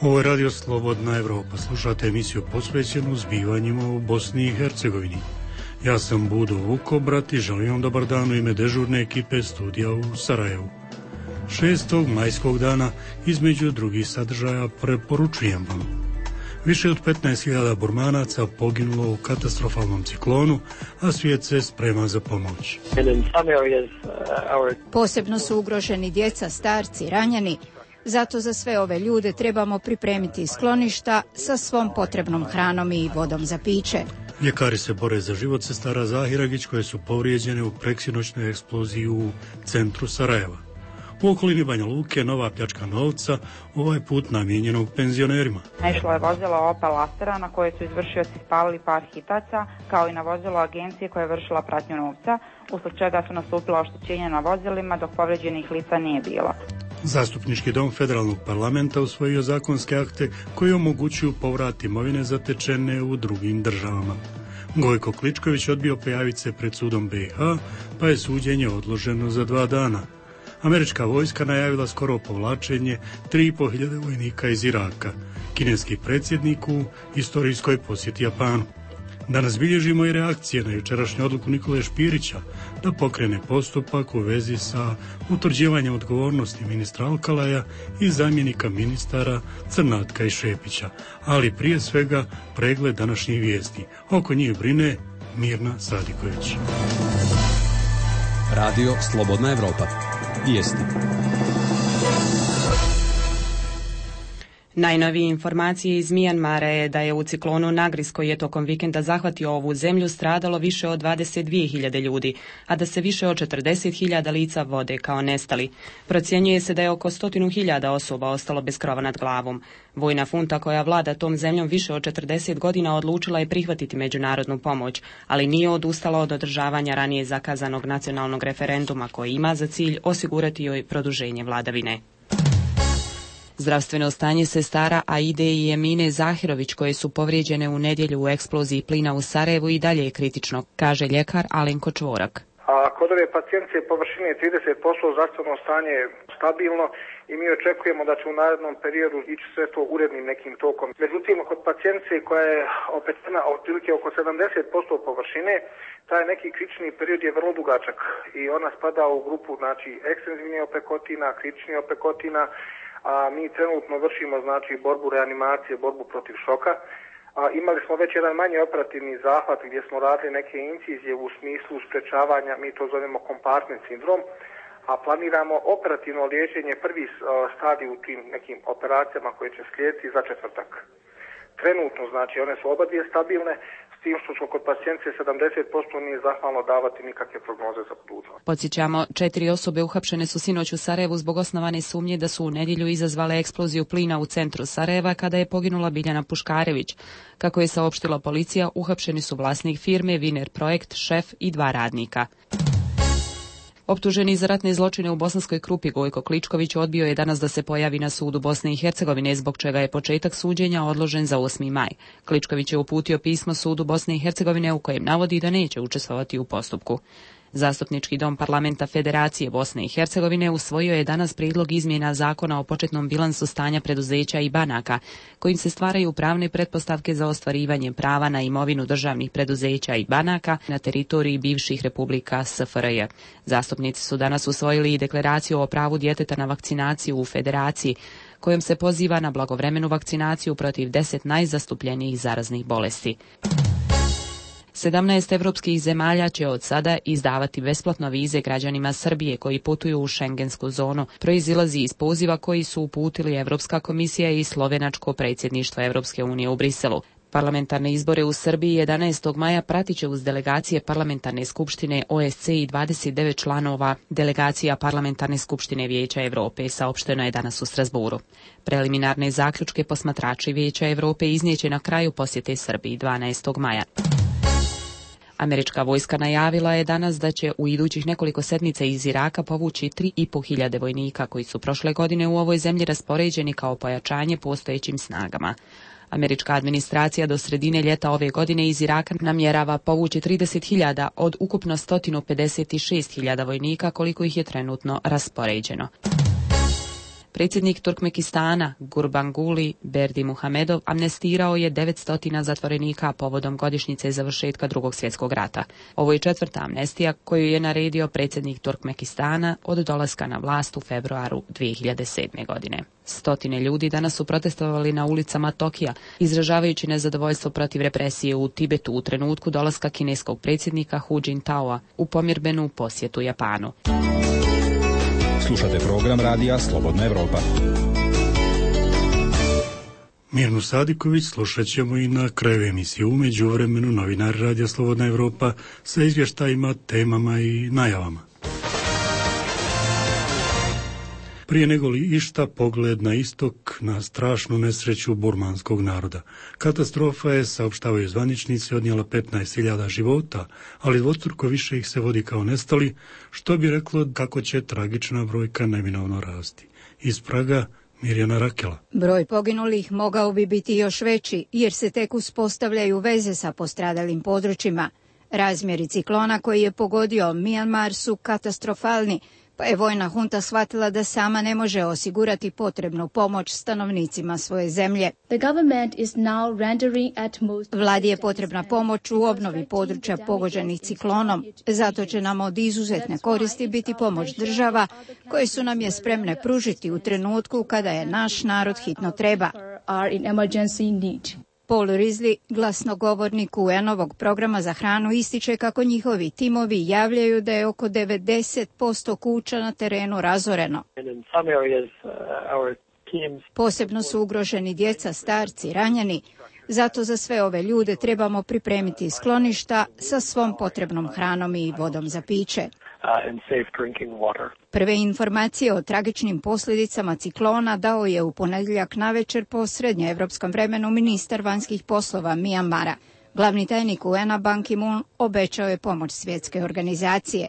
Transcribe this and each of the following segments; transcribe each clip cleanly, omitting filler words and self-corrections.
Ovo je Radio Slobodna Evropa. Slušate emisiju posvećenu zbivanjima u Bosni i Hercegovini. Ja sam Budo Vukobrat i želim vam dobar dan u ime dežurne ekipe studija u Sarajevu. 6. majskog dana između drugih sadržaja preporučujem vam. Više od 15.000 Burmanaca poginulo u katastrofalnom ciklonu, a svijet se sprema za pomoć. Posebno su ugroženi djeca, starci, ranjeni. Zato za sve ove ljude trebamo pripremiti skloništa sa svom potrebnom hranom i vodom za piće. Ljekari se bore za život sestara Zahiragić koje su povrijeđene u preksinoćnoj eksploziji u centru Sarajeva. U okolini Banja Luke nova pljačka novca, ovaj put namijenjenog penzionerima. Naišlo je vozilo Opel Astera na koje su izvršioci spalili par hitaca, kao i na vozilo agencije koja je vršila pratnju novca, usled čega su nastupila oštećenja na vozilima dok povrijeđenih lica nije bilo. Zastupnički dom federalnog parlamenta usvojio zakonske akte koji omogućuju povrat imovine zatečene u drugim državama. Gojko Kličković odbio pojaviti se pred sudom BiH, pa je suđenje odloženo za 2 dana. Američka vojska najavila skoro povlačenje 3.500 vojnika iz Iraka. Kineski predsjednik u istorijskoj posjeti Japanu. Danas bilježimo i reakcije na jučerašnju odluku Nikole Špirića da pokrene postupak u vezi sa utvrđivanjem odgovornosti ministra Alkalaja i zamjenika ministara Crnatka i Šepića. Ali prije svega pregled današnjih vijesti. Oko njih brine Mirna Sadiković. Radio Slobodna Evropa. Vijesti. Najnovije informacije iz Mijanmara je da je u ciklonu Nagris koji je tokom vikenda zahvatio ovu zemlju stradalo više od 22.000 ljudi, a da se više od 40.000 lica vode kao nestali. Procjenjuje se da je oko 100.000 osoba ostalo bez krova nad glavom. Vojna funta koja vlada tom zemljom više od 40 godina odlučila je prihvatiti međunarodnu pomoć, ali nije odustala od održavanja ranije zakazanog nacionalnog referenduma koji ima za cilj osigurati joj produženje vladavine. Zdravstveno stanje sestara Aide i Emine Zahirović koje su povrijeđene u nedjelju u eksploziji plina u Sarajevu i dalje je kritično, kaže ljekar Alenko Čvorak. A kod ove pacijentice površine 30% zdravstveno stanje je stabilno i mi očekujemo da će u narednom periodu ići sve to urednim nekim tokom. Međutim, kod pacijentice koja je opetena otprilike oko 70% površine, taj neki kritični period je vrlo dugačak i ona spada u grupu ekstenzivnih opekotina, kritičnih opekotina, a mi trenutno vršimo borbu reanimacije, borbu protiv šoka. Imali smo već jedan manji operativni zahvat gdje smo radili neke incizije u smislu sprečavanja, mi to zovemo kompartment sindrom, a planiramo operativno liječenje prvi stadij u tim nekim operacijama koje će slijediti za četvrtak. Trenutno, one su oba dvije stabilne, s tim što smo kod pacijentice 70% nije zahvalno davati nikakve prognoze za budućnost. Podsjećamo, 4 osobe uhapšene su sinoć u Sarajevu zbog osnovane sumnje da su u nedjelju izazvale eksploziju plina u centru Sarajeva kada je poginula Biljana Puškarević. Kako je saopštila policija, uhapšeni su vlasnik firme Viner Projekt, šef i 2 radnika. Optuženi za ratne zločine u Bosanskoj Krupi Gojko Kličković odbio je danas da se pojavi na sudu Bosne i Hercegovine, zbog čega je početak suđenja odložen za 8. maj. Kličković je uputio pismo sudu Bosne i Hercegovine u kojem navodi da neće učestvovati u postupku. Zastupnički dom parlamenta Federacije Bosne i Hercegovine usvojio je danas prijedlog izmjena zakona o početnom bilansu stanja preduzeća i banaka, kojim se stvaraju pravne pretpostavke za ostvarivanje prava na imovinu državnih preduzeća i banaka na teritoriji bivših republika SFRJ. Zastupnici su danas usvojili i deklaraciju o pravu djeteta na vakcinaciju u Federaciji, kojom se poziva na blagovremenu vakcinaciju protiv 10 najzastupljenijih zaraznih bolesti. 17 evropskih zemalja će od sada izdavati besplatno vize građanima Srbije koji putuju u šengensku zonu. Proizilazi iz poziva koji su uputili Evropska komisija i slovenačko predsjedništvo Evropske unije u Briselu. Parlamentarne izbore u Srbiji 11. maja pratit će uz delegacije Parlamentarne skupštine OSCE i 29 članova delegacija Parlamentarne skupštine Vijeća Europe, saopšteno je danas u Strasburu. Preliminarne zaključke posmatrači Vijeća Europe iznijeće na kraju posjete Srbiji 12. maja. Američka vojska najavila je danas da će u idućih nekoliko sedmica iz Iraka povući 3.500 vojnika koji su prošle godine u ovoj zemlji raspoređeni kao pojačanje postojećim snagama. Američka administracija do sredine ljeta ove godine iz Iraka namjerava povući 30.000 od ukupno 156.000 vojnika koliko ih je trenutno raspoređeno. Predsjednik Turkmenistana Gurbanguly Berdimuhamedov amnestirao je 900 zatvorenika povodom godišnjice završetka Drugog svjetskog rata. Ovo je 4. amnestija koju je naredio predsjednik Turkmenistana od dolaska na vlast u februaru 2007. godine. Stotine ljudi danas su protestovali na ulicama Tokija, izražavajući nezadovoljstvo protiv represije u Tibetu u trenutku dolaska kineskog predsjednika Hu Jintaoa u pomirbenu posjetu Japanu. Slušate program radija Slobodna Evropa. Mirnu Sadiković slušat ćemo i na kraju emisije. U međuvremenu novinari radija Slobodna Evropa sa izvještajima, temama i najavama. Prije nego li išta pogled na istok, na strašnu nesreću burmanskog naroda. Katastrofa je, saopštavaju zvaničnici, odnijela 15.000 života, ali dvostruko više ih se vodi kao nestali, što bi reklo kako će tragična brojka neminovno rasti. Iz Praga, Mirjana Rakela. Broj poginulih mogao bi biti još veći, jer se tek uspostavljaju veze sa postradalim područjima. Razmjeri ciklona koji je pogodio Mijanmar su katastrofalni, pa je vojna hunta shvatila da sama ne može osigurati potrebnu pomoć stanovnicima svoje zemlje. Vladi je potrebna pomoć u obnovi područja pogođenih ciklonom, zato će nam od izuzetne koristi biti pomoć država koje su nam je spremne pružiti u trenutku kada je naš narod hitno treba. Paul Risley, glasnogovornik UN-ovog programa za hranu, ističe kako njihovi timovi javljaju da je oko 90% kuća na terenu razoreno. Posebno su ugroženi djeca, starci, ranjeni. Zato za sve ove ljude trebamo pripremiti skloništa sa svom potrebnom hranom i vodom za piće. Prve informacije o tragičnim posljedicama ciklona dao je u ponedjeljak navečer po srednjoevropskom vremenu ministar vanjskih poslova Mijanmara. Glavni tajnik UN-a Ban Ki-moon obećao je pomoć svjetske organizacije.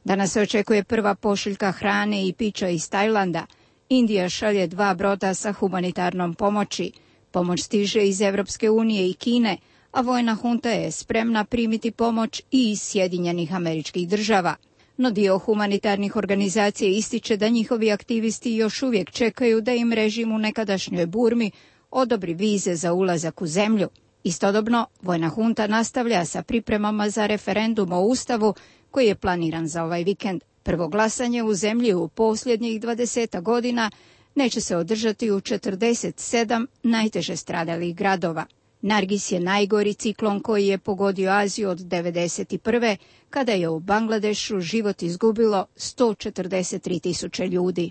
Danas se očekuje prva pošiljka hrane i pića iz Tajlanda. Indija šalje 2 broda sa humanitarnom pomoći. Pomoć stiže iz Europske unije i Kine, a vojna hunta je spremna primiti pomoć i iz Sjedinjenih Američkih Država. No dio humanitarnih organizacija ističe da njihovi aktivisti još uvijek čekaju da im režim u nekadašnjoj Burmi odobri vize za ulazak u zemlju. Istodobno, vojna hunta nastavlja sa pripremama za referendum o Ustavu koji je planiran za ovaj vikend. Prvo glasanje u zemlji u posljednjih 20 godina neće se održati u 47 najteže stradalih gradova. Nargis je najgori ciklon koji je pogodio Aziju od 1991. kada je u Bangladešu život izgubilo 143.000 ljudi.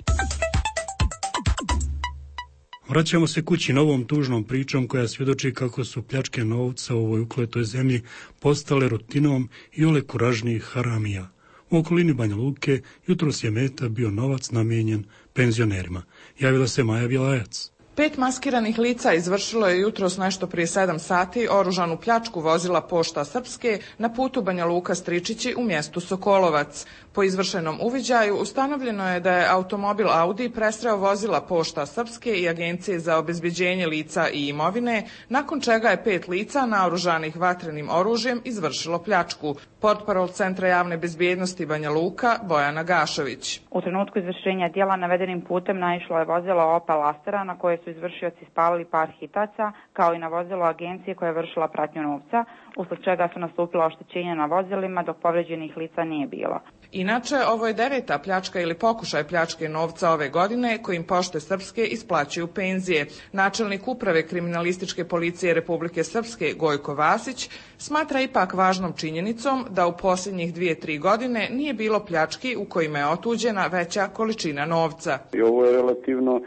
Vraćamo se kući novom tužnom pričom koja svjedoči kako su pljačke novca u ovoj ukletoj zemlji postale rutinom i ole kuražnijih haramija. U okolini Banja Luke jutros je meta bio novac namijenjen penzionerima. Javila se Maja Bjelajac. 5 maskiranih lica izvršilo je jutros nešto prije 7 sati oružanu pljačku vozila Pošta Srpske na putu Banja Luka-Stričići u mjestu Sokolovac. Po izvršenom uviđaju ustanovljeno je da je automobil Audi presreo vozila Pošta Srpske i Agencije za obezbeđenje lica i imovine, nakon čega je 5 lica naoružanih vatrenim oružjem izvršilo pljačku. Portparol Centra javne bezbjednosti Banja Luka Bojana Gašović. U trenutku izvršenja djela navedenim putem naišlo je vozilo Opel Astera na koje su izvršioci spalili par hitaca, kao i na vozilo agencije koja je vršila pratnju novca, usled čega su nastupila oštećenja na vozilima dok povrijeđenih lica nije bilo. Inače, ovo je 9. pljačka ili pokušaj pljačke novca ove godine kojim Pošte Srpske isplaćuju penzije. Načelnik uprave kriminalističke policije Republike Srpske Gojko Vasić smatra ipak važnom činjenicom da u posljednjih 2-3 godine nije bilo pljački u kojima je otuđena veća količina novca. I ovo je relativno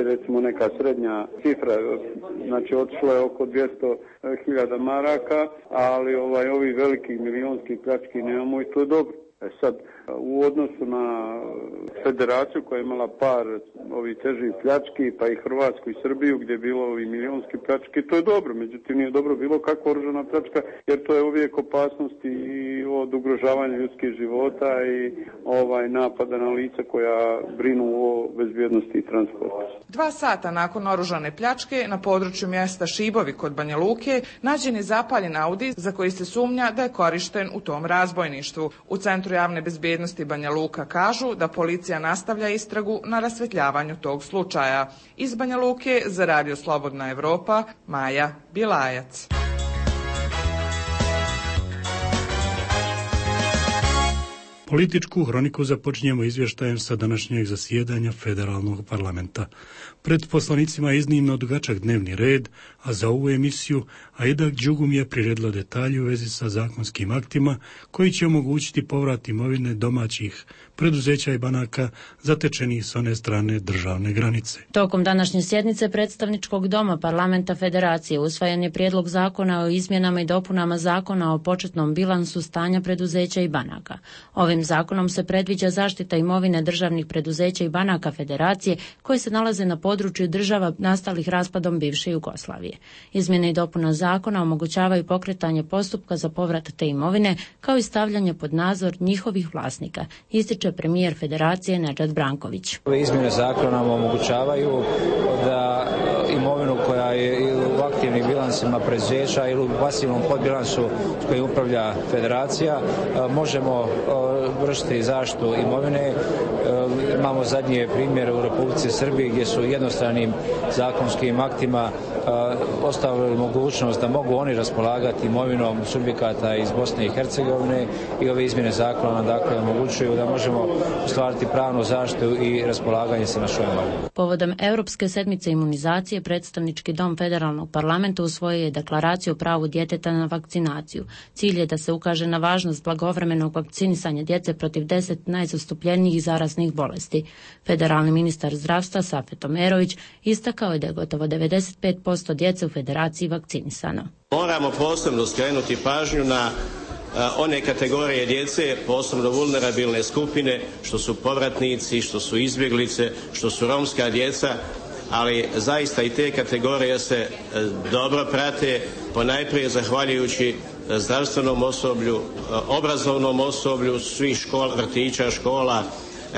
recimo neka srednja cifra, znači otišlo je oko 200.000 maraka, ali ovi velikih milijonskih pljački nemamo i to je dobro. Sad, u odnosu na federaciju koja je imala par ovih težih pljački, pa i Hrvatsku i Srbiju gdje je bilo ovi milijonski pljački, to je dobro, međutim nije dobro bilo kakva oružana pljačka, jer to je uvijek opasnost i od ugrožavanja ljudskih života i napada na lica koja brinu o bezbjednosti i transportu. 2 sata nakon oružane pljačke na području mjesta Šibovi kod Banja Luke nađen je zapaljen Audi za koji se sumnja da je korišten u tom razbojništvu. U Centru javne bezbjednosti bezbjednosti Banja Luka kažu da policija nastavlja istragu na rasvetljavanju tog slučaja. Iz Banja Luke za Radio Slobodna Evropa, Maja Bilajac. Političku hroniku započinjemo izvještajem sa današnjeg zasjedanja Federalnog parlamenta. Pred poslanicima je iznimno dugačak dnevni red, a za ovu emisiju Aida Đugum je priredila detalje u vezi sa zakonskim aktima koji će omogućiti povrat imovine domaćih preduzeća i banaka zatečenih s one strane državne granice. Tokom današnje sjednice predstavničkog doma Parlamenta Federacije usvojen je prijedlog zakona o izmjenama i dopunama zakona o početnom bilansu stanja preduzeća i banaka. Ovim zakonom se predviđa zaštita imovine državnih preduzeća i banaka Federacije koje se nalaze na području država nastalih raspadom bivše Jugoslavije. Izmjene i dopuna zakona omogućavaju pokretanje postupka za povrat te imovine kao i stavljanje pod nadzor njihovih vlasnika, ističe premijer Federacije Nedžad Branković. Ove izmjene zakona nam omogućavaju da imovinu koja je u aktivnim bilansima preduzeća ili u pasivnom podbilansu s kojim upravlja Federacija možemo vršiti zaštitu imovine. Imamo zadnje primjere u Republici Srbiji gdje su jednostranim zakonskim aktima ostavili mogućnost da mogu oni raspolagati imovinom subjekata iz Bosne i Hercegovine i ove izmjene zakona nam dakle omogućuju da možemo ostvariti pravnu zaštitu i raspolaganje sa našom imovinom. Povodom Europske sedmice imunizacije predstavnički dom Federalnog parlamenta usvojio je deklaraciju o pravu djeteta na vakcinaciju. Cilj je da se ukaže na važnost blagovremenog vakcinisanja djece protiv 10 najzastupljenijih zaraznih bolesti. Federalni ministar zdravstva Safet Omerović istakao je da je gotovo 95% djece u Federaciji vakcinisano. Moramo posebno skrenuti pažnju na one kategorije djece, posebno vulnerabilne skupine, što su povratnici, što su izbjeglice, što su romska djeca, ali zaista i te kategorije se dobro prate, ponajprije zahvaljujući zdravstvenom osoblju, obrazovnom osoblju svih škola, vrtića, škola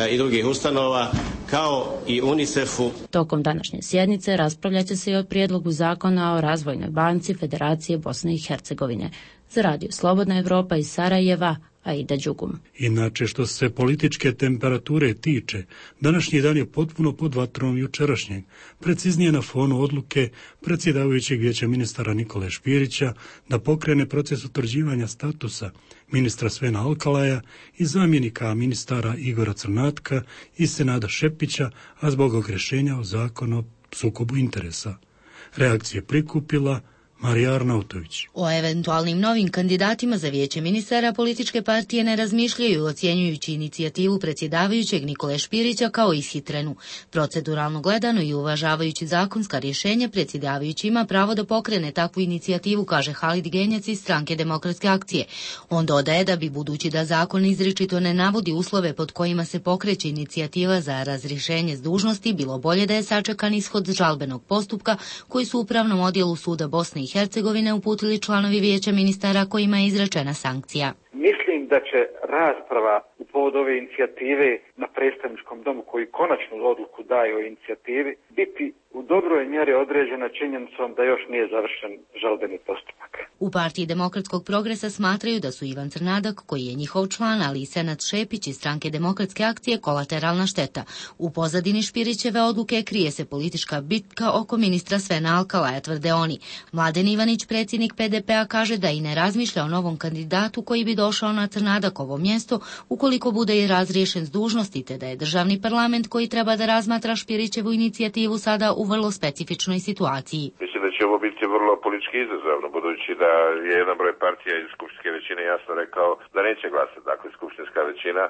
i drugih ustanova, kao i UNICEF-u. Tokom današnje sjednice raspravljat će se i o prijedlogu zakona o razvojnoj banci Federacije Bosne i Hercegovine. Za Radio Slobodna Evropa iz Sarajeva, Aida Đugum. Inače, što se političke temperature tiče, današnji dan je potpuno pod vatrom jučerašnjeg, preciznije na fonu odluke predsjedavajućeg vijeća ministara Nikole Špirića da pokrene proces utvrđivanja statusa ministra Svena Alkalaja i zamjenika ministara Igora Crnatka i Senada Šepića, a zbog ogrešenja o zakonu o sukobu interesa. Reakcije prikupila Marija Arnautović. O eventualnim novim kandidatima za vijeće ministara političke partije ne razmišljaju, ocjenjujući inicijativu predsjedavajućeg Nikole Špirića kao ishitrenu. Proceduralno gledano i uvažavajući zakonska rješenja, predsjedavajući ima pravo da pokrene takvu inicijativu, kaže Halid Genjac iz Stranke demokratske akcije. On dodaje da bi, budući da zakon izričito ne navodi uslove pod kojima se pokreće inicijativa za razrješenje s dužnosti, bilo bolje da je sačekan ishod žalbenog postupka koji su u Upravnom odjelu suda Bosne i Hercegovine uputili članovi vijeća ministara kojima je izrečena sankcija. Mislim da će rasprava u povodu ove inicijative na predstavničkom domu koji konačnu odluku daje o inicijativi biti u dobroj mjeri određena činjenicom da još nije završen žalbeni postupak. U partiji Demokratskog progresa smatraju da su Ivan Crnadak, koji je njihov član, ali i Senad Šepić iz Stranke demokratske akcije kolateralna šteta. U pozadini Špirićeve odluke krije se politička bitka oko ministra Svena Alkalaja, tvrde oni. Mladen Ivanić, predsjednik PDP-a, kaže da i ne razmišlja o novom kandidatu koji bi došao na Crnadakovo mjesto ukoliko bude i razriješen s dužnosti, te da je državni parlament koji treba da razmatra Špirićevu inicijativu sada u vrlo specifičnoj situaciji. Mislim da će ovo biti vrlo politički izazovno, budući da je jedan broj partija iz skupštinske većine jasno rekao da neće glasati. Dakle, skupštinska većina,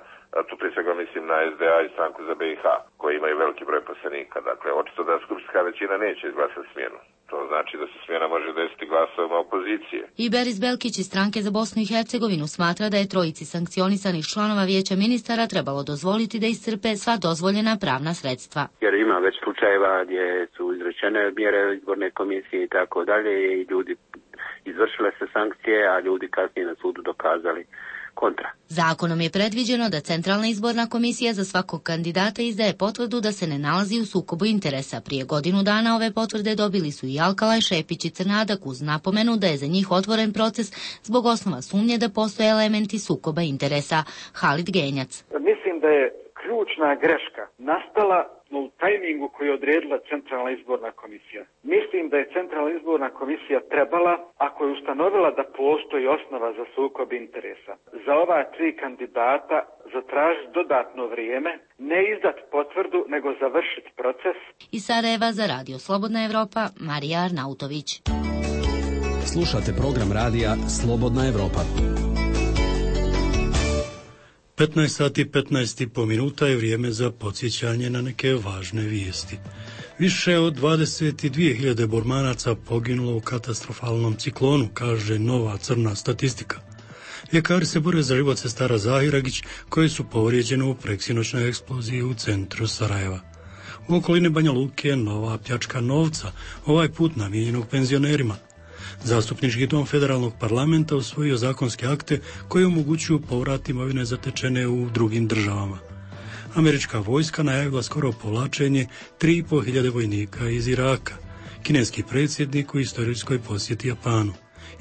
tu prije svega mislim na SDA i Stranku za BiH, koji imaju veliki broj poslanika. Dakle, očito da skupštinska većina neće izglasati smjenu. To znači da se smjena može desiti glasovima opozicije. I Beris Belkić iz Stranke za Bosnu i Hercegovinu smatra da je trojici sankcionisanih članova vijeća ministara trebalo dozvoliti da iscrpe sva dozvoljena pravna sredstva. Jer ima već slučajeva gdje su izrečene mjere izborne komisije i tako dalje i ljudi izvršile se sankcije, a ljudi kasnije na sudu dokazali kontra. Zakonom je predviđeno da Centralna izborna komisija za svakog kandidata izdaje potvrdu da se ne nalazi u sukobu interesa. Prije godinu dana ove potvrde dobili su i Alkalaj, Šepić i Crnadak uz napomenu da je za njih otvoren proces zbog osnova sumnje da postoje elementi sukoba interesa. Halid Genjac. Mislim da je ključna greška nastala u tajmingu koji je odredila Centralna izborna komisija. Mislim da je Centralna izborna komisija trebala, ako je ustanovila da postoji osnova za sukob interesa, za ova 3 kandidata zatražiti dodatno vrijeme, ne izdati potvrdu, nego završiti proces. Iz Sarajeva za Radio Slobodna Evropa, Marija Arnautović. Slušate program radija Slobodna Evropa. 15 sati 15,5 minuta je vrijeme za podsjećanje na neke važne vijesti. Više od 22.000 Burmanaca poginulo u katastrofalnom ciklonu, kaže nova crna statistika. Ljekari se bore za život sestara Zahiragić, koje su povrijeđene u preksinoćnoj eksploziji u centru Sarajeva. U okolini Banja Luke nova pljačka novca, ovaj put namijenjenog penzionerima. Zastupnički dom federalnog parlamenta usvojio zakonske akte koji omogućuju povrat imovine zatečene u drugim državama. Američka vojska najavila skoro povlačenje 3.500 vojnika iz Iraka. Kineski predsjednik u istorijskoj posjeti Japanu.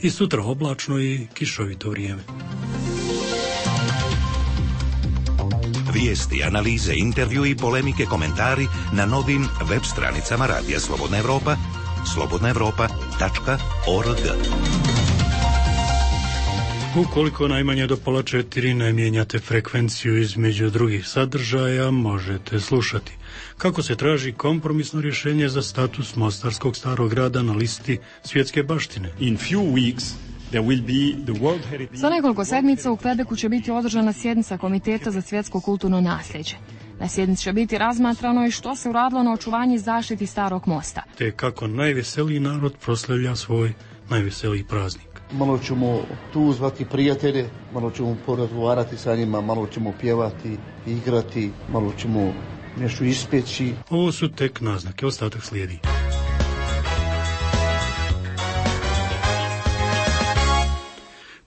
I sutra oblačno i kišovito vrijeme. Vijesti, analize, intervju i polemike, komentari na novim web stranicama Radija Slobodna Evropa, slobodnaevropa.org. Ukoliko najmanje do pola 4 ne mijenjate frekvenciju između drugih sadržaja, možete slušati kako se traži kompromisno rješenje za status Mostarskog starog grada na listi svjetske baštine. Za nekoliko sedmica u Kvebeku će biti održana sjednica Komiteta za svjetsko kulturno nasljeđe. Na sjednici će biti razmatrano i što se uradilo na očuvanju i zaštiti starog mosta. Te kako najveseliji narod proslavlja svoj najveseliji praznik. Malo ćemo tu zvati prijatelje, malo ćemo porazgovarati sa njima, malo ćemo pjevati, igrati, malo ćemo nešto ispeći. Ovo su tek naznake, ostatak slijedi.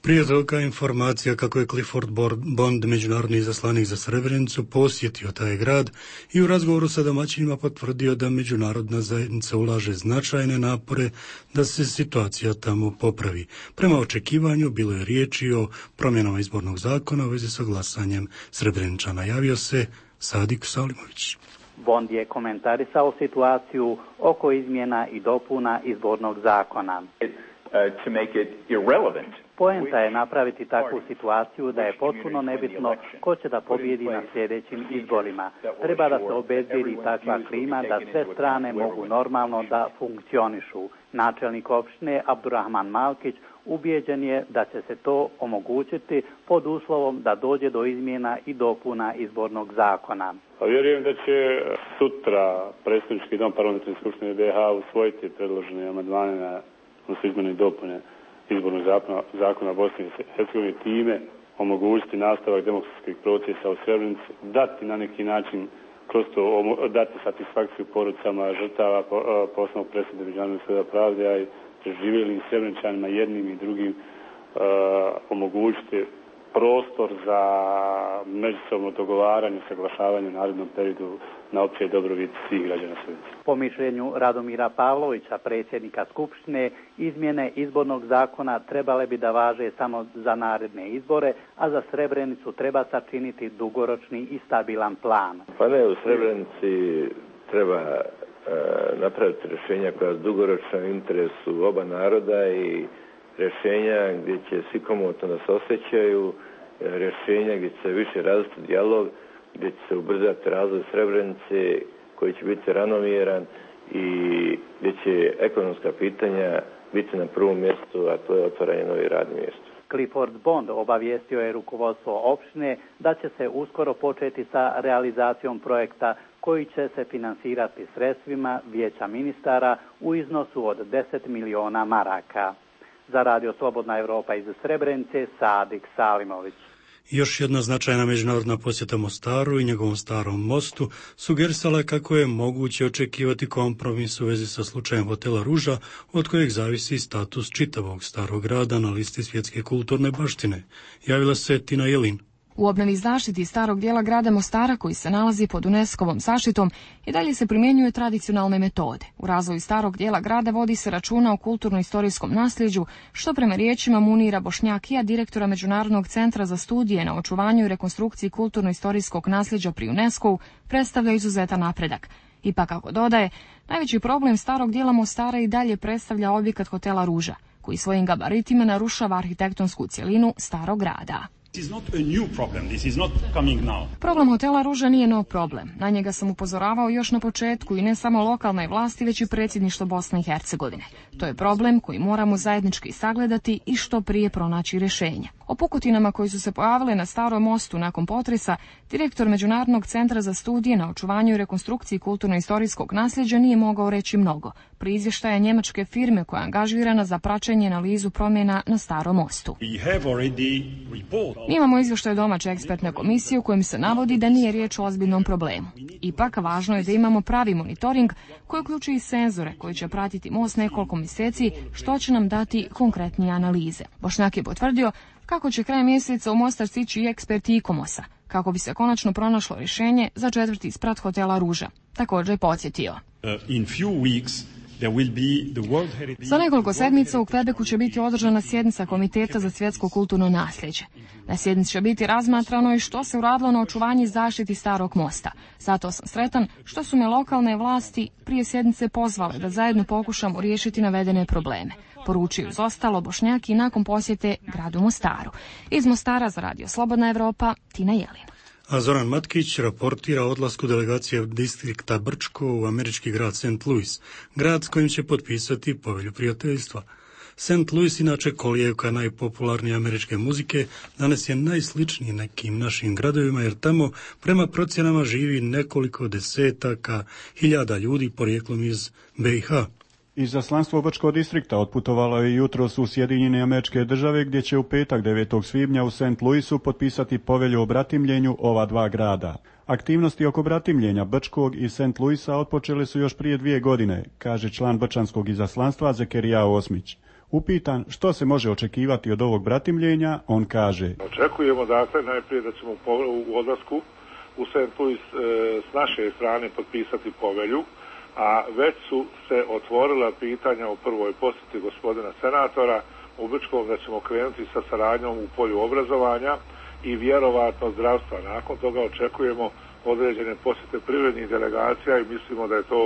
Prije toga informacija kako je Clifford Bond, međunarodni izaslanik za Srebrenicu, posjetio taj grad i u razgovoru sa domaćinima potvrdio da međunarodna zajednica ulaže značajne napore da se situacija tamo popravi. Prema očekivanju bilo je riječi o promjenama izbornog zakona u vezi sa glasanjem Srebreničana. Javio se Sadik Salimović. Bond je komentarisao situaciju oko izmjena i dopuna izbornog zakona. To make it irrelevant. Poenta je napraviti takvu situaciju da je potpuno nebitno ko će da pobjedi na sljedećim izborima. Treba da se obezbijedi takva klima da sve strane mogu normalno da funkcionišu. Načelnik opštine Abdurrahman Malkić ubijeđen je da će se to omogućiti pod uslovom da dođe do izmjena i dopuna izbornog zakona. Vjerujem da će sutra predstavnički dom parlamentarne skupštine BiH usvojiti predložene amandmane na izmjene i dopune izbornog zakona Bosne i Hercegovine, time omogućiti nastavak demokratskih procesa u Srebrenici, dati na neki način kroz to dati satisfakciju porodicama žrtava posebnog presude Međunarodnog suda pravde, a i preživjelim Srebreničanima jednim i drugim omogućiti prostor za međusobno dogovaranje, saglašavanje u narednom periodu na opće dobrobit svih građana Srebrenice. Po mišljenju Radomira Pavlovića, predsjednika Skupštine, izmjene izbornog zakona trebale bi da važe samo za naredne izbore, a za Srebrenicu treba sačiniti dugoročni i stabilan plan. Pa ne, u Srebrenici treba napraviti rješenja koja su dugoročno u interesu oba naroda i rješenja gdje će svi komotno da se osjećaju, rješenja gdje će se više razviti dijalog, gdje će se ubrzati razvoj Srebrenice koji će biti ravnomjeran i gdje će ekonomska pitanja biti na prvom mjestu, a to je otvaranje novih radnih mjesta. Clifford Bond obavijestio je rukovodstvo opštine da će se uskoro početi sa realizacijom projekta koji će se finansirati sredstvima Vijeća ministara u iznosu od 10 miliona maraka. Za Radio Slobodna Evropa iz Srebrenice, Sadik Salimović. Još jedna značajna međunarodna posjeta Mostaru i njegovom starom mostu sugerisala je kako je moguće očekivati kompromis u vezi sa slučajem hotela Ruža, od kojeg zavisi status čitavog starog grada na listi svjetske kulturne baštine. Javila se Tina Jelin. U obnovi zaštiti starog dijela grada Mostara, koji se nalazi pod UNESCO-vom zaštitom, i dalje se primjenjuje tradicionalne metode. U razvoju starog dijela grada vodi se računa o kulturno-istorijskom nasljeđu, što prema riječima Munira Bošnjakija, direktora Međunarodnog centra za studije na očuvanju i rekonstrukciji kulturno-istorijskog nasljeđa pri UNESCO-u, predstavlja izuzetan napredak. Ipak, kako dodaje, najveći problem starog dijela Mostara i dalje predstavlja objekat hotela Ruža, koji svojim gabaritima narušava arhitektonsku cjelinu starog grada. Problem hotela Ruža nije nov problem. Na njega sam upozoravao još na početku i ne samo lokalne vlasti, već i predsjedništvo Bosne i Hercegovine. To je problem koji moramo zajednički sagledati i što prije pronaći rješenje. O pukotinama koji su se pojavile na starom mostu nakon potresa, direktor Međunarodnog centra za studije na očuvanju i rekonstrukciji kulturno-istorijskog nasljeđa nije mogao reći mnogo. Pri izvještaja njemačke firme koja je angažirana za praćenje i analizu promjena na starom mostu. Mi imamo izvještaj domaće ekspertne komisije u kojem se navodi da nije riječ o ozbiljnom problemu. Ipak, važno je da imamo pravi monitoring koji uključuje i senzore koji će pratiti most nekoliko mjeseci, što će nam dati konkretnije analize. Bošnjak je potvrdio kako će krajem mjeseca u Mostar stići i eksperti ICOMOS-a, kako bi se konačno pronašlo rješenje za četvrti sprat hotela Ruža. Također je podsjetio. Za nekoliko sedmica u Quebecu će biti održana sjednica Komiteta za svjetsko kulturno nasljeđe. Na sjednici će biti razmatrano i što se uradilo na očuvanju i zaštiti starog mosta. Zato sam sretan što su me lokalne vlasti prije sjednice pozvale da zajedno pokušamo riješiti navedene probleme. Poručuju uz ostalo Bošnjaki nakon posjete gradu Mostaru. Iz Mostara za Radio Slobodna Evropa, Tina Jelin. A Zoran Matkić raportira o odlasku delegacije distrikta Brčko u američki grad St. Louis, grad s kojim će potpisati povelju prijateljstva. St. Louis, inače kolijevka najpopularnije američke muzike, danas je najsličniji nekim našim gradovima, jer tamo prema procjenama živi nekoliko desetaka hiljada ljudi porijeklom iz BiH. Izaslanstvo Brčkog distrikta otputovalo je jutros u Sjedinjene Američke Države, gdje će u petak 9. svibnja u St. Louisu potpisati povelju o bratimljenju ova dva grada. Aktivnosti oko bratimljenja Brčkog i St. Louisa otpočele su još prije 2 godine, kaže član brčanskog izaslanstva Zekerija Osmić. Upitan što se može očekivati od ovog bratimljenja, on kaže: Očekujemo dakle najprije da ćemo u odlasku u St. Louis s naše strane potpisati povelju, a već su se otvorila pitanja o prvoj posjeti gospodina senatora u Brčkom, da ćemo krenuti sa saradnjom u polju obrazovanja i vjerovatno zdravstva. Nakon toga očekujemo određene posjete privrednih delegacija i mislimo da je to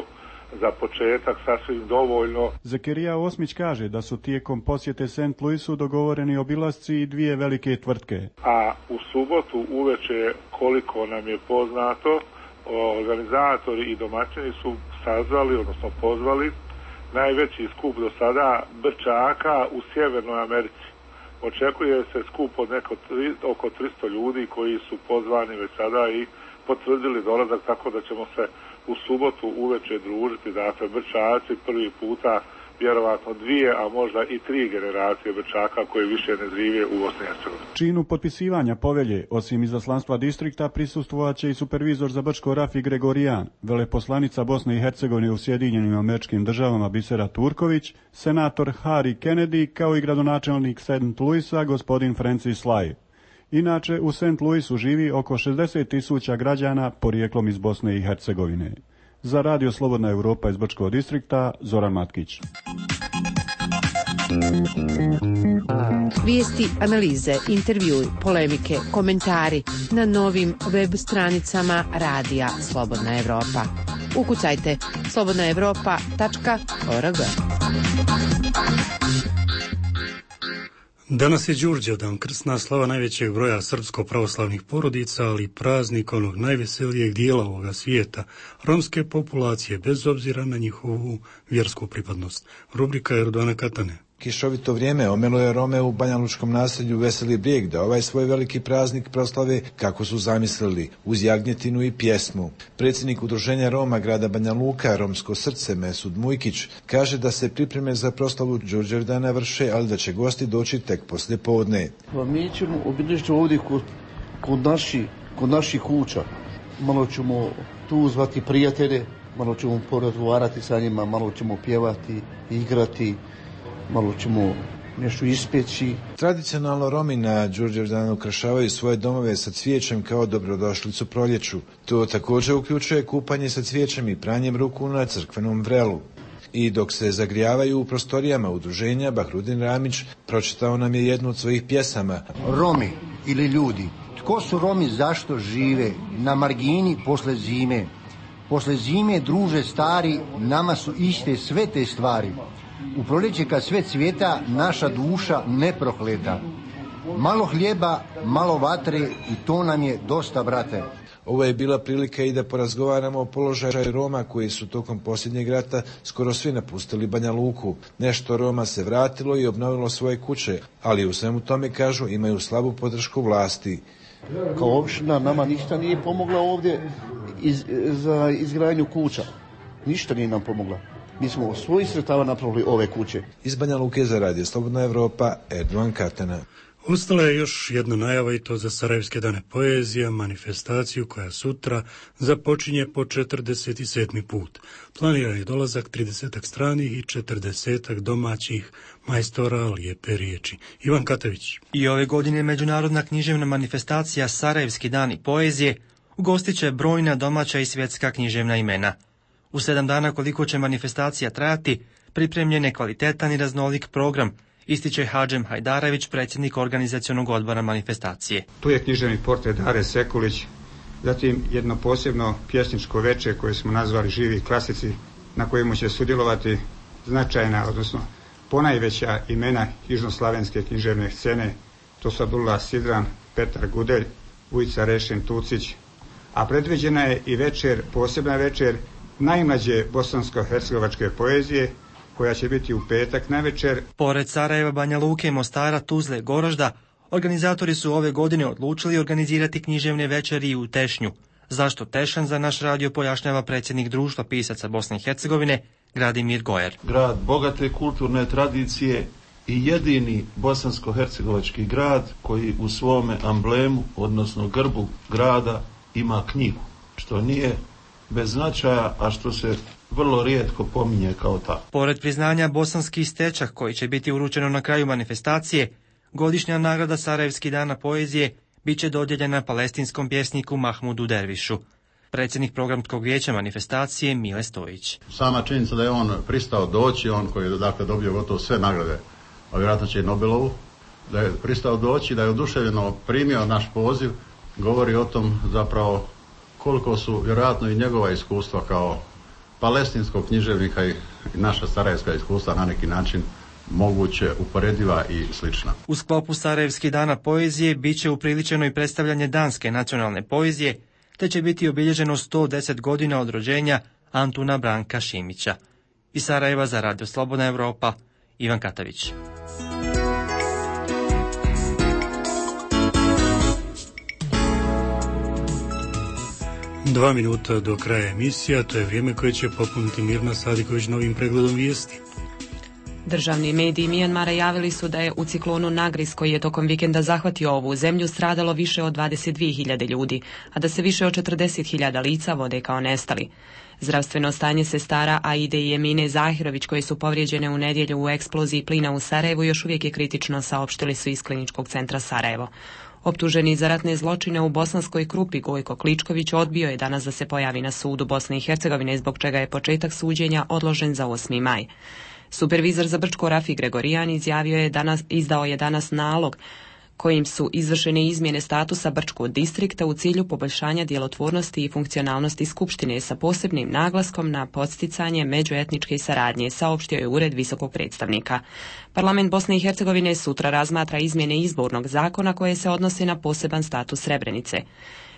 za početak sasvim dovoljno. Zekerija Osmić kaže da su tijekom posjete St. Louisu dogovoreni obilasci i 2 velike tvrtke. A u subotu uveče, koliko nam je poznato, organizatori i domaćini su sazvali, odnosno pozvali, najveći skup do sada Brčaka u Sjevernoj Americi. Očekuje se skup od oko 300 ljudi koji su pozvani već sada i potvrdili dolazak, tako da ćemo se u subotu uveče družiti. Dakle, Brčaci prvi puta, vjerovatno 2, a možda i 3 generacije Brčaka koji više ne žive u Bosni i Hercegovini. Činu potpisivanja povelje, osim izaslanstva distrikta, prisustvovat će i supervizor za Brčko Rafi Gregorijan, veleposlanica Bosne i Hercegovine u Sjedinjenim Američkim Državama Bisera Turković, senator Harry Kennedy, kao i gradonačelnik St. Louisa gospodin Francis Lai. Inače, u St. Louisu živi oko 60.000 građana porijeklom iz Bosne i Hercegovine. Za Radio Slobodna Evropa iz Brčkog distrikta, Zoran Matkić. Vijesti, analize, intervjui, polemike, komentari na novim web stranicama Radija Slobodna Evropa. Ukucajte slobodnaevropa.org. Danas je Đurđevdan, krsna slava najvećeg broja srpsko-pravoslavnih porodica, ali praznik onog najveselijeg dijela ovoga svijeta, romske populacije, bez obzira na njihovu vjersku pripadnost. Rubrika Erdovana Katane. Kišovito vrijeme omelo je Rome u banjalučkom naselju Veseli Brijeg da ovaj svoj veliki praznik proslave kako su zamislili, uz jagnjetinu i pjesmu. Predsjednik udruženja Roma grada Banja Luka, Romsko srce, Mesud Mujkić, kaže da se pripreme za proslavu Đurđevdana vrše, ali da će gosti doći tek poslije podne. Mi ćemo obilježiti ovdje kod kod naših kuća. Malo ćemo tu zvati prijatelje, malo ćemo porazgovarati sa njima, malo ćemo pjevati, igrati, malo ćemo nešto ispeći. Tradicionalno Romi na Đurđevdan ukrašavaju svoje domove sa cvijećem kao dobrodošlicu proljeću. To također uključuje kupanje sa cvijećem i pranjem ruku na crkvenom vrelu. I dok se zagrijavaju u prostorijama udruženja, Bahrudin Ramić pročitao nam je jednu od svojih pjesama. Romi ili ljudi, tko su Romi, zašto žive na margini posle zime? Posle zime, druže stari, nama su iste sve te stvari. U proljeće kad sve cvjeta, naša duša ne prokleta. Malo hljeba, malo vatre i to nam je dosta, brate. Ovo je bila prilika i da porazgovaramo o položaju Roma koji su tokom posljednjeg rata skoro svi napustili Banja Luku. Nešto Roma se vratilo i obnovilo svoje kuće, ali u svemu tome, kažu, imaju slabu podršku vlasti. Kao opština nama ništa nije pomogla ovdje za izgradnju kuća. Ništa nije nam pomogla. Mi smo od svojih sredstava napravili ove kuće. Iz Banja Luke za Radio Slobodna Evropa, Erdogan Katana. Ostala je još jedna najava i to za Sarajevske dane poezija, manifestaciju koja sutra započinje po 47. put. Planiran je dolazak 30 stranih i 40 domaćih majstora lijepe riječi. Ivan Katavić. I ove godine međunarodna književna manifestacija Sarajevski dani poezije ugostit će brojna domaća i svjetska književna imena. U 7 dana koliko će manifestacija trajati, pripremljen je kvalitetan i raznolik program, ističe Hadžem Hajdarević, predsjednik organizacionog odbora manifestacije. Tu je književni portret Dare Sekulić, zatim jedno posebno pjesničko veče koje smo nazvali Živi klasici, na kojemu će sudjelovati značajna, odnosno ponajveća imena južnoslavenske književne scene. To su Abdullah Sidran, Petar Gudelj, Vujica Rešin Tucić, a predviđena je i večer, posebna večer najmlađe bosansko-hercegovačke poezije, koja će biti u petak navečer. Pored Sarajeva, Banja Luke, Mostara, Tuzle, Goražda, organizatori su ove godine odlučili organizirati književne večeri i u Tešnju. Zašto Tešan, za naš radio pojašnjava predsjednik društva pisaca Bosne i Hercegovine, Gradimir Gojer. Grad bogate kulturne tradicije i jedini bosansko-hercegovački grad koji u svome amblemu, odnosno grbu grada, ima knjigu, što nije bez značaja, a što se vrlo rijetko pominje kao tako. Pored priznanja bosanski stečak koji će biti uručeno na kraju manifestacije, godišnja nagrada Sarajevski dana poezije bit će dodijeljena palestinskom pjesniku Mahmudu Dervišu. Predsjednik programskog vijeća manifestacije Mile Stojić. Sama činjenica da je on pristao doći, on koji je dakle dobio gotovo sve nagrade, a vjerojatno će i Nobelovu, da je pristao doći, da je oduševljeno primio naš poziv, govori o tom zapravo koliko su vjerojatno i njegova iskustva kao palestinskog književnika i naša sarajevska iskustva na neki način moguće, uporediva i slična. U sklopu Sarajevskih dana poezije bit će upriličeno i predstavljanje danske nacionalne poezije, te će biti obilježeno 110 godina od rođenja Antuna Branka Šimića. Iz Sarajeva za Radio Slobodna Evropa, Ivan Katavić. Dva minuta do kraja emisija, to je vrijeme koje će popuniti Mirna Sadiković novim pregledom vijesti. Državni mediji Mijanmara javili su da je u ciklonu Nagris, koji je tokom vikenda zahvatio ovu zemlju, stradalo više od 22.000 ljudi, a da se više od 40.000 lica vode kao nestali. Zdravstveno stanje sestara Aide i Emine Zahirović, koje su povrijeđene u nedjelju u eksploziji plina u Sarajevu, još uvijek je kritično, saopštili su iz Kliničkog centra Sarajevo. Optuženi za ratne zločine u Bosanskoj Krupi, Gojko Kličković odbio je danas da se pojavi na sudu Bosne i Hercegovine, zbog čega je početak suđenja odložen za 8. maj. Supervizor za Brčko Rafi Gregorijan izdao je danas nalog kojim su izvršene izmjene statusa Brčkog distrikta u cilju poboljšanja djelotvornosti i funkcionalnosti Skupštine sa posebnim naglaskom na podsticanje međuetničke saradnje, saopštio je Ured visokog predstavnika. Parlament Bosne i Hercegovine sutra razmatra izmjene izbornog zakona koje se odnose na poseban status Srebrenice.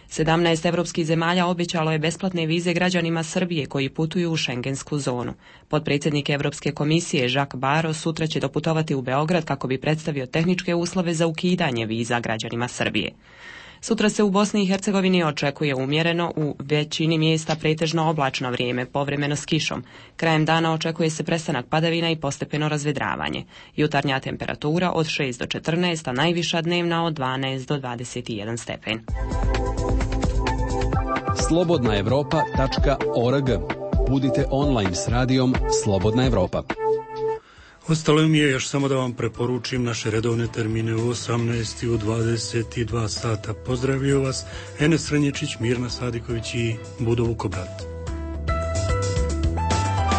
17 evropskih zemalja obećalo je besplatne vize građanima Srbije koji putuju u šengensku zonu. Potpredsjednik Evropske komisije Jacques Barrot sutra će doputovati u Beograd kako bi predstavio tehničke uslove za ukidanje viza građanima Srbije. Sutra se u Bosni i Hercegovini očekuje umjereno, u većini mjesta pretežno oblačno vrijeme, povremeno s kišom. Krajem dana očekuje se prestanak padavina i postepeno razvedravanje. Jutarnja temperatura od 6 do 14, a najviša dnevna od 12 do 21 stepen. slobodnaevropa.org. Budite online s radijom Slobodna Evropa. Ostalo mi je još samo da vam preporučim naše redovne termine u 18 i u 22 sata. Pozdravio vas Enes Ranječić, Mirna Sadiković i Budo Vukobrat.